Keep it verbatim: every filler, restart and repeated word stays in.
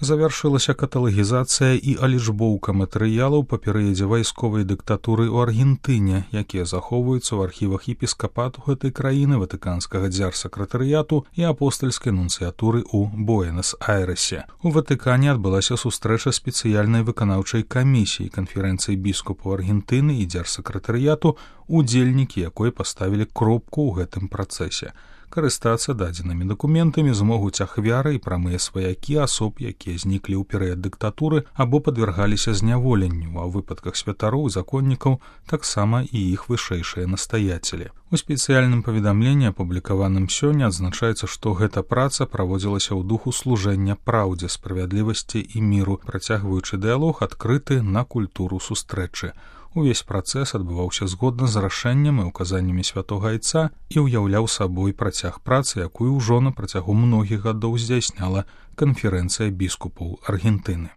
Завяршылася каталагізацыя і алічбоўка матэрыялаў па перыядзе вайсковай дыктатуры ў Аргентыне, якія захоўваюцца ў архівах епіскапату гэтай краіны, ватыканскага дзярсакратарыяту і апостальскай нунцыятуры ў Буэнас-Айрэсе. У Ватыкане адбылася сустрэча спецыяльнай выканаўчай камісіі канферэнцыі біскупаў Аргентыны і дзярсакратарыяту, удзельнікі якой паставілі кропку ў гэтым працэсе. Карыстацца дадзенымі дакументамі змогуць ахвяры і прамыя сваякі асоб, якія зніклі ў перыяд дыктатуры або падвяргаліся зняволенню, а ў выпадках святароў і законнікаў таксама і іх вышэйшыя настаяцелі. У спецыяльным паведамленні, апублікаваным сёння, адзначаецца, што гэта праца праводзілася ў духу служэння праўдзе, справядлівасці і міру, працягваючы дыялог адкрыты на культуру сустрэчы. Увесь працэс адбываўся згодна з рашэннем і указаннямі святога айца і ўяўляў сабой працяг працы, якую ўжо на працягу многіх гадоў здзяйсняла канферэнцыя біскупаў Аргентыны.